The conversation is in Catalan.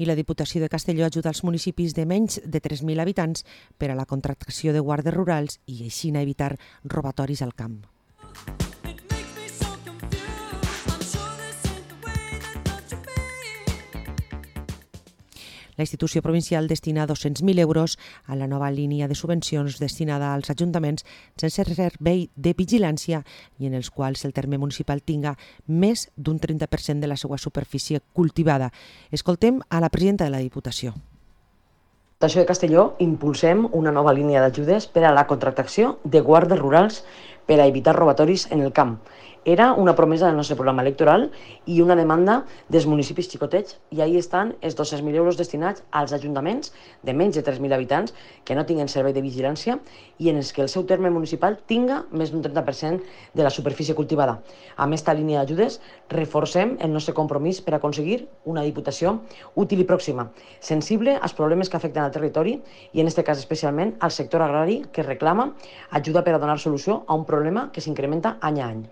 I la Diputació de Castelló ajuda els municipis de menys de 3.000 habitants per a la contractació de guàrdies rurals i així evitar robatoris al camp. La institució provincial destina 200.000 euros a la nova línia de subvencions destinada als ajuntaments sense servei de vigilància i en els quals el terme municipal tinga més d'un 30% de la seva superfície cultivada. Escoltem a la presidenta de la Diputació. A Diputació de Castelló impulsem una nova línia d'ajudes per a la contractació de guàrdies rurals per a evitar robatoris en el camp. Era una promesa del nostre programa electoral i una demanda dels municipis xicotets i ahí estan els 200.000 euros destinats als ajuntaments de menys de 3.000 habitants que no tinguen servei de vigilància i en els que el seu terme municipal tinga més d'un 30% de la superfície cultivada. Amb esta línia d'ajudes reforcem el nostre compromís per aconseguir una Diputació útil i pròxima, sensible als problemes que afecten al territori i en aquest cas especialment al sector agrari que reclama ajuda per a donar solució a un problema que s'incrementa any a any.